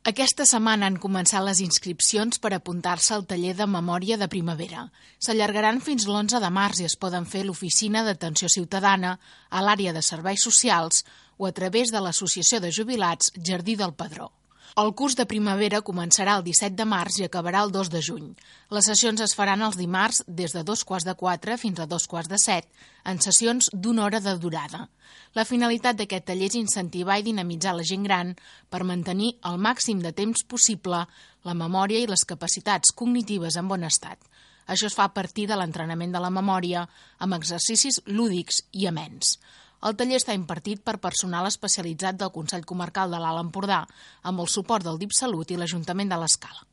Aquesta setmana han començat les inscripcions per apuntar-se al taller de memòria de primavera. S'allargaran fins l'11 de març i es poden fer a l'Oficina d'Atenció Ciutadana, a l'àrea de Serveis Socials o a través de l'Associació de Jubilats Jardí del Pedró. El curs de primavera començarà el 17 de març i acabarà el 2 de juny. Les sessions es faran els dimarts des de 2:45 fins a 2:45, en sessions d'1 hora de durada. La finalitat d'aquest taller és incentivar i dinamitzar la gent gran per mantenir el màxim de temps possible la memòria i les capacitats cognitives en bon estat. Això es fa a partir de l'entrenament de la memòria amb exercicis lúdics i amens. El taller està impartit per personal especialitzat del Consell Comarcal de l'Alt Empordà, amb el suport del DIP Salut i l'Ajuntament de l'Escala.